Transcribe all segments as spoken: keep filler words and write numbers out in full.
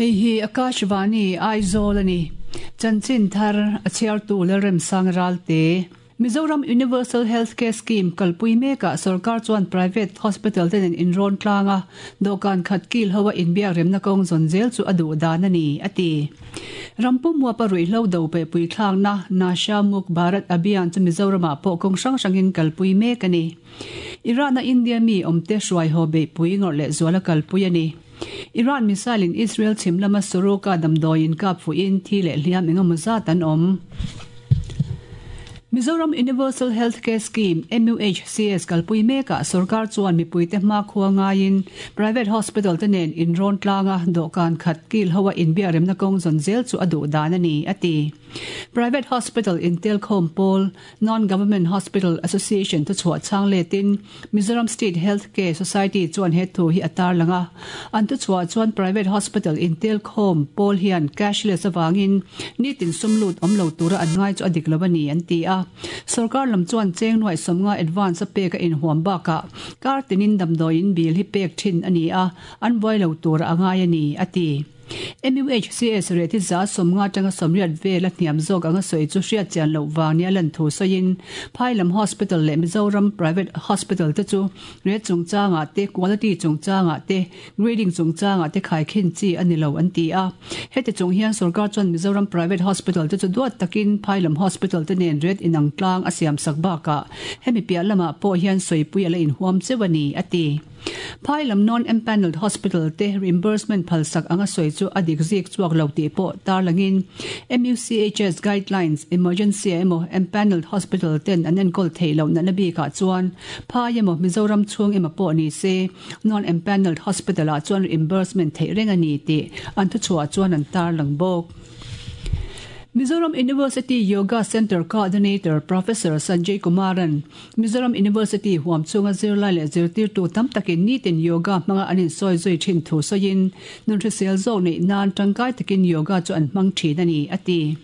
Hei hi Akashvani Aizawl ani. Chanchin thar a chhiartu Lalremsang Ralte. Mizoram Universal Healthcare Scheme kalpui meka sarkar chuan private hospital ten in rawn tlanga dawhkan khat kil hoa inbiak remna kawng zawn zel chu a duh dan ani ati. Rampum huapa ruihhlo do pe pui thlakna Nasha Muk Bharat Abhiyan chu Mizoramah pawh kawng hrang hrangin kalpui mek ani. Iran a India mi awmte hruai haw beihpui ngawrh leh zuala kalpui ani. Iran missile in Israel chhim lama Soroka damdawiin kap fuhin thi leh hliam engemaw zat an awm. Mizoram Universal Healthcare Scheme, M U H C S kalpui mekah sarkar chuan mipuite hma khua ngaiin private hospital te nen in rawn tlanga dawhkan khat kil hoa inbiak remna kawng zawn zel chu a duh dan a ni a ti. Private Hospital in Telkhawm Pawl, Non-Government Hospital Association thu chhuah chang letin Mizoram State Healthcare Society chuan he thu hi a tar lang a. An thu chhuah chuan Private Hospital in Telkhawm Pawl hian cashless awangin nitin sumlut awm lo tura an ngai chu a dik lo a ni an ti a. Sarkar lam chuan cheng nuai sawmnga advance a pek a inhuam bakah kar tinin damdawiin bill hi pek thin a ni a, an buai lo tura a ngai a ni a ti. M U H C S reti za sawmnga tanga sawmriat vel a hniam zawk anga sawi chu hriat chian loh vang nia lan thu sawiin Phailam Hospital leh Mizoram Private Hospital te chu ret chungchangah te quality chungchangah te grading chungchangah te khaikhin chi a ni lo an ti a. Heti chung hian sarkar chuan Mizoram Private Hospital te chu duat takin Phailam Hospital te nen ret inang tlang a siam sak bakah hemi piah lamah pawh hian sawipui a la inhuam cheu a ni a ti. Phailam non-empanelled hospital te reimbursement phalsak anga sawi chu a dik zik chuak lo tih pawh tarlangin M U C H S guidelines emergency emaw empanelled hospital ten an enkawl thei lo natna bikah chuan phai emaw Mizoram chhung emaw pawh ni se non-empanelled hospital ah chuan reimbursement theih reng a ni tih an thu chhuah chuan an tarlang bawk. Mizoram University Yoga Center Coordinator Professor Sanjay Kumaran Mizoram University huam chunga zirlai leh zirtirtu tam takin nitin yoga hmanga an insawi zui thin thu sawiin nunhrisel zawk neih nan tangkai takin yoga chu an hmang thin a ni a ti.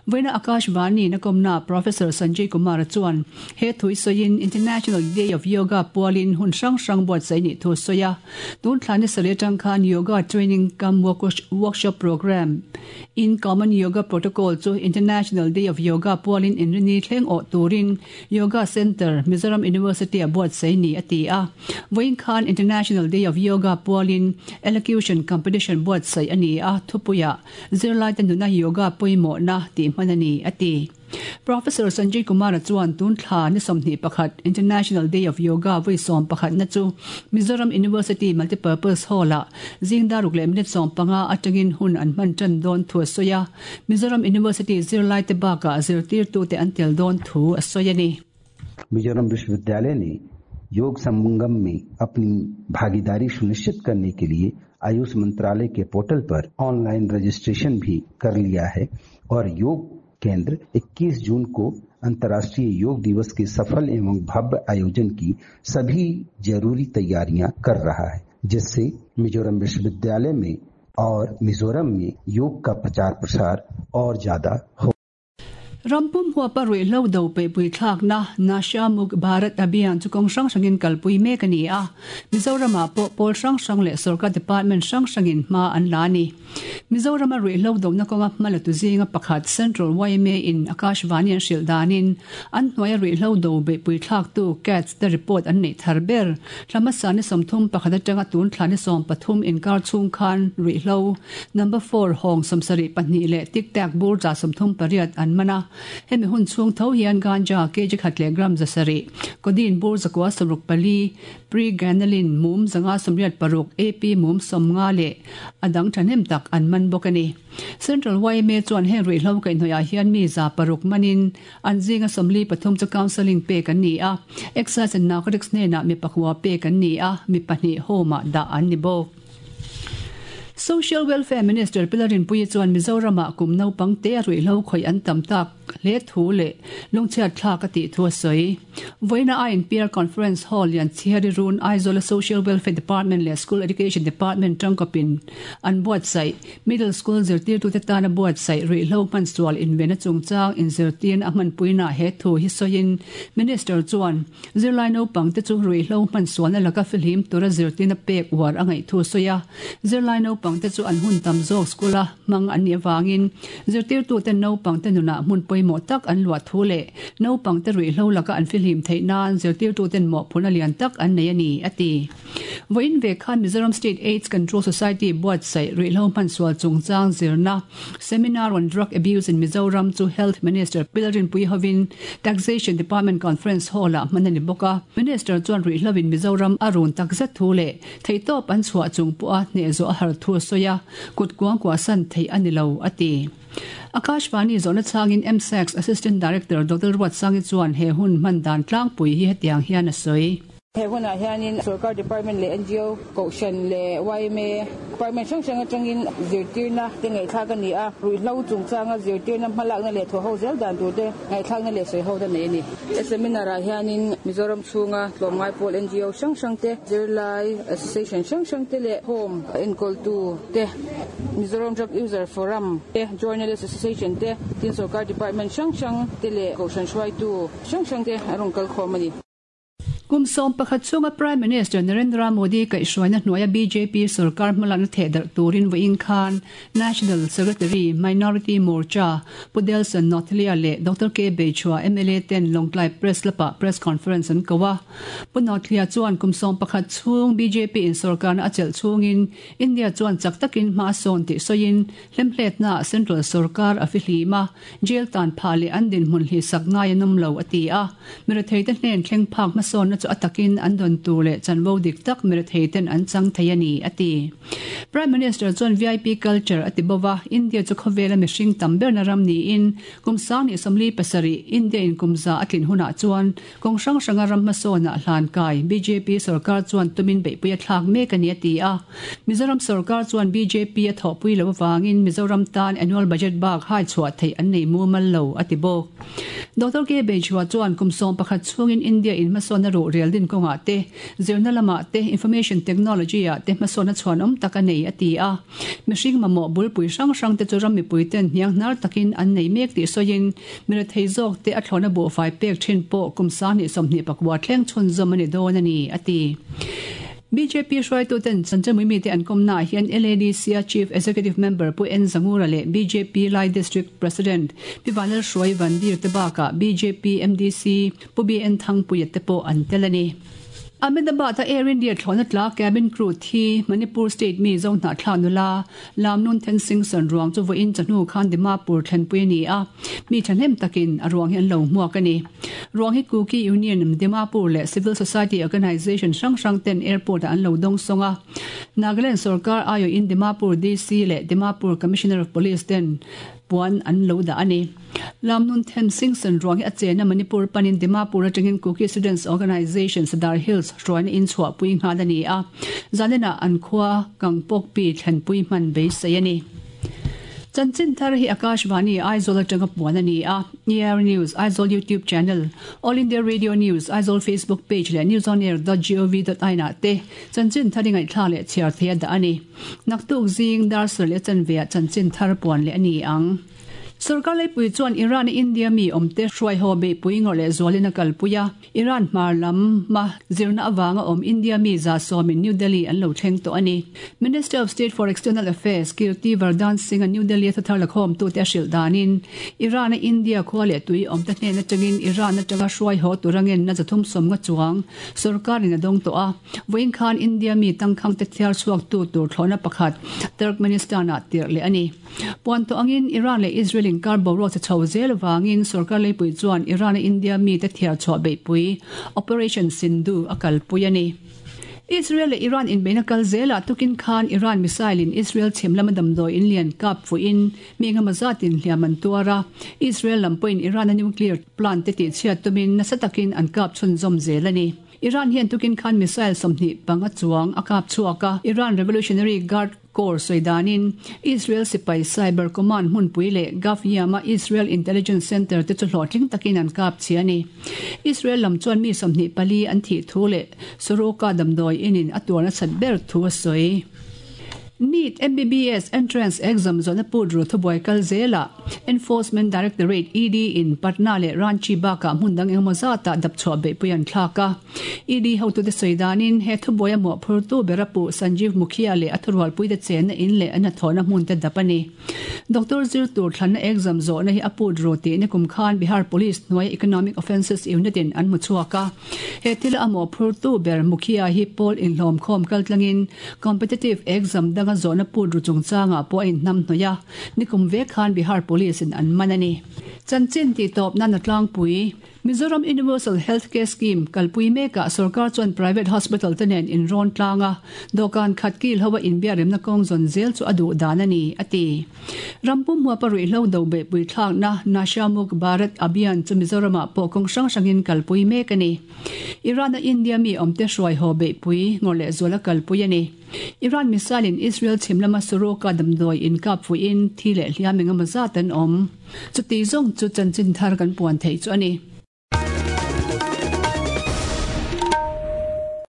Vawiina Akashvani na kawmna Professor Sanjay Kumar chuan he thui sawiin International Day of Yoga pualin hun hrang hrang buatsaih nih thu sawi a. Tun thlani sarih atang khan yoga training cum workshop program in Common Yoga Protocol chu International Day of Yoga pualin inrini thleng awh turin Yoga Center Mizoram University a buatsaih ni a ti a. Vawiin khan International Day of Yoga pualin elocution competition buatsaih a ni a thupuia zirlai te nuna yoga pawimawh na ti hman a ni a ti. Professor Sanjay Kumar chuan tun thla ni sawmhnih pakhat International Day of Yoga vui sawm pakhat na chu Mizoram University Multipurpose Hall ah zingdaruk leh minute sawm panga atangin hun an hman tan dawn thu a sawi a. Mizoram University zirlai te bakah zirtirtu te an tel dawn thu a sawi a ni. Mizoram विश्वविद्यालय ने योग संगम में अपनी भागीदारी सुनिश्चित करने के लिए आयुष मंत्रालय के पोर्टल पर ऑनलाइन रजिस्ट्रेशन भी कर लिया है और योग केंद्र इक्कीस जून को अंतर्राष्ट्रीय योग दिवस के सफल एवं भव्य आयोजन की सभी जरूरी तैयारियां कर रहा है, जिससे मिजोरम विश्वविद्यालय में और मिजोरम में योग का प्रचार प्रसार और ज्यादा हो। Rampum huapa ruihhlo do pe pui thlakna Nasha Muk Bharat Abhiyan chu kawng hrang hrangin kalpui mek a ni a. Mizoramah pawh pawl hrang hrang leh sarkar department hrang hrangin hma an la ni. Mizorama ruihhlo dona kawnga hma la tu zinga pakhat Central Y M A in Akashvani an hrilh danin an hnuaia ruihhlo do be pui thlak tu CATS te report an nei thar ber. Thlamasa ni sawmthum pakhat atanga tun thla ni sawm pathum inkar chhung khan ruihhlo number four hawng sawmsarih pahnih leh tic tac bur za sawmthum pariat an mana. Hemi hun chhung tho hian ganja kg khat leh gram zasarih codeine bur zakua sawmruk pali pregabalin mum zanga sawmriat paruk A P mum sawmnga leh adang thahnem tak an man bawk a ni. Central Y M A chuan heng ruihhlo kaihhnawih hian mi za paruk manin an zinga sawmli pathum chu counselling pek an ni a. Excise and Narcotics hnenah mi pakua pek an ni a, mi pahnih home ah dah an ni bawk. Social Welfare Minister Pilarin Puyi chuan Mizoramah kum naupang te a ruihhlo khawih an tam tak hle thu leh lungchhiat thlak a tih thu a sawi. Vawiina I N P R Conference Hall lian Chhiari Run Aizawl Social Welfare Department leh School Education Department tangkawpin an buatsaih Middle School zirtirtute tana buatsaih ruihhlo hmansual invenna chungchang inzirtirna a hmanpuina he thu hi sawiin Minister chuan zirlai naupang te chu ruihhlo hmansualna laka fihlim tura zirtirna pek uar a ngaih thu sawi a. Zirlai naupang te chu an hun tam zawk school a hmang an nih avangin zirtirtute naupang te nunah hmun pawimawh tak an luah thu leh naupang te ruihhlo laka an fihlim theih nan zirtirtuten mawhphurhna lian tak an nei a ni a ti. Vawiin ve khan Mizoram State AIDS Control Society buatsaih ruihhlo hmansual chungchang zirna Seminar on Drug Abuse in Mizoram chu Health Minister Pilarin Puihovin Taxation Department Conference Hall ah hman a ni bawk a. Minister chuan ruihhlo in Mizoram a run takzet thu leh theihtawp an chhuah chung pawh a hneh zawh a har thu a sawi a, kut kuang kuah san theih a ni lo a ti. Akashvani zawhna changin M S A C Assistant Director Doctor Ruat Sangi chuan he hun hman dan tlangpui hi hetiang hian a sawi. He hunah hianin Sarkar Department leh N G O Kohhran leh Y M A Department hrang hrang atangin zirtirna te ngaihthlak a ni a, ruihhlo chungchanga zirtirna hmalakna leh thaw ho zel dan tur te ngaihthlakna leh sawi ho ta nei a ni. He seminar ah hianin Mizoram chhunga tlawmngai pawl N G O hrang hrang te, zirlai association hrang hrang te leh home enkawltu te, Mizoram Drug User Forum te, Journalist Association te, tin Sarkar Department hrang hrang te leh Kohhran hruaitu hrang hrang te a rawn kal khawm a ni. Kum sawm pakhat chunga Prime Minister Narendra Modi kaihhruaina hnuaia B J P sarkar hmalakna theh darh turin vawiin khan National Secretary Minority Morcha Pu Delson Nothlia leh Doctor K Beichhua M L A ten Lawngtlai Press Club-ah press conference an ko a. Pu Nothlia chuan kum sawm pakhat chhung B J P in sarkarna a chelh chhungin India chuan chak takin hma sawn tih sawiin hlemhletna Central sarkar a fihlim a, jail tan pha leh an dinhmun hli sak ngai an awm lo a ti a. Miratheite hnen thleng phak hmasawnna chu a takin an dawn tur leh chanvo dik tak miratheiten an chang thei a ni a ti. Prime Minister chuan V I P culture a ti bawk a, India chu khawvela mihring tam berna ram niin kum sang ni sawmli pasarih India in kumza a tlin hunah chuan kawng hrang hranga ram hmasawnah hlan kai B J P sarkar chuan tumin beihpui a thlak mek a ni a ti a. Mizoram sarkar chuan B J P a thawhpui lo awangin Mizoram tan annual budget bak hai chhuah theih an nei mumal lo a ti bawk. Doctor K Beichhua chuan kum sawm pakhat chhungin India in hmasawnna ruh rel din kawngah te, zirna lamah te, information technology ah te hmasawnna chhuan awm tak a nei a ti a. Mihring mamawh bulpui hrang hrang te chu ram mipui ten hniang hnar takin an nei mek tih sawiin mirathei zawk te a thlawna buhfai pek thin pawh kum sang hnih sawmhnih pakua thleng chhun zawm a ni dawn a ni a ti. B J P hruaitu ten Chanchamui mi te an kawmna ah hian L A D C a Chief Executive Member Pu N Zangura leh B J P Lai District President Pi Vanlal Hruai Vandir te bakah B J P M D C Pu B N Thangpuia te pawh an tel a ni. Ahmedabad a Air India thlawhna tla cabin crew thi Manipur State mi zo hnah thlak nula Lamnun Then Singh san ruang chu vawiin chahnu khan Dimapur thlenpui a ni a, mi thahnem takin a ruang hi an lo hmuak a ni. Ruang hi Kuki Union Dimapur leh Civil Society Organisation hrang hrang ten airport ah an lo dawng sawng a. Nagaland sarkar aiawh in Dimapur D C leh Dimapur Commissioner of Police ten puan an lo dah a ni. Lamnun Then Singh san ruang hi a chena Manipur panin Dimapur atangin Kuki Students Organisation Sadar Hills hruaina in chhuah pui nghal a ni a. Zanina an khua Kangpok pi thlenpui hman beisei a ni. Chanchin thar hi Akashvani Aizawl atanga puan a ni a. E R News Aizawl YouTube channel, All India Radio News Aizawl Facebook page leh newsonair dot gov dot in ah te chanchin thar i ngaihthla leh chhiar thei a dah a ni. Naktuk zing dar sar leh chanve ah chanchin thar puan leh a ni ang. Sarkar leipui chuan Iran India mi awmte hruai haw beihpui ngawrh leh zualin a kalpui a. Iran hmar lam ma zirna awanga awm India mi za sawmin New Delhi an lo thleng tawh a ni. Minister of State for External Affairs Kirti Vardhan Singh a New Delhi a thathar lakhawm tu te a hrilh danin Iran a India khua leh tui awmte hnen atangin Iran atanga hruai haw turangen na zathum sawm nga chuang sarkarin a dawng tawh a. Vawiin khan India mi tangkhang te thiar chhuak tu tur thlawhna pakhat Turkmenistan ah tirh leh a ni. Puan tawh angin Iran leh Israel inkar boruak che chho zel awangin sarkar leipui chuan Iran a India mi te thiar chhuah beihpui Operation Sindhu a kalpui a ni. Israel leh Iran inbeihna kal zela tukin khan Iran missile in Israel chhim lama damdawi in lian kap fuin mi engemaw zatin hliam an tuar a. Israel lam pawhin Iran a nuclear plant te tih chhiat tumin nasa takin an kap chhun zawm zel a ni. Iran hian tukin khan missile sawmhnih panga chuang a kap chhuak a. Iran Revolutionary Guard Corps sawidanin Israel sipai Cyber Command hmunpui leh Gaf Yam-a Israel Intelligence Center te chu hlawhtling takin an kap chhi a ni. Israel lam chuan mi sawmhnih pali an thih thu leh Soroka damdawi inin a tuar nasat ber thu a sawi. NEET M B B S entrance exam zawhna put ru thubuai kal zelah Enforcement Directorate, E D, in Patna leh Ranchi bakah hmun dang engemaw zatah dapchhuah beihpui an thlak a. E D hotute sawi danin he thubuai a mawhphurtu bera puh Sanjeev Mukhiya leh a thurualpuite chenna in leh an hnathawhna hmun te dap a ni. Doctor zir tur thlanna exam zawhna hi a put ru tih nikum khan Bihar Police hnuai Economic Offences Unit in an hmu chhuak a. He thil a mawhphurtu ber Mukhiya hi pawl inhlawm khawm kaltlangin competitive exam danga zawhna put ru chungchangah pawh a inhnam hnawih a, nikum vek khan Bihar Police in an man a ni. Chanchin tih tawp nan a tlangpui. Mizoram Universal Health Care Scheme kalpui mekah sorkar chuan private hospital te nen inrawn tlang a, dawhkan khat kil ho a inbiakremna kawng zawn zel chu a duh dan a ni, a ti. Rampum huapa ruihhlo do beihpui thlakna Nasha Muk Bharat Abhiyan chu Mizoramah pawh kawng hrang hrangin kalpui mek a ni. Iran-a India mi awmte hruai haw beihpui ngawr leh zuala kalpui a ni. Iran missile in Israel chhim lama Soroka damdawi inkap fuihin thi leh hliam engemaw zat an awm. Chuti zawng chu chanchin thar kan puan theih chu a ni.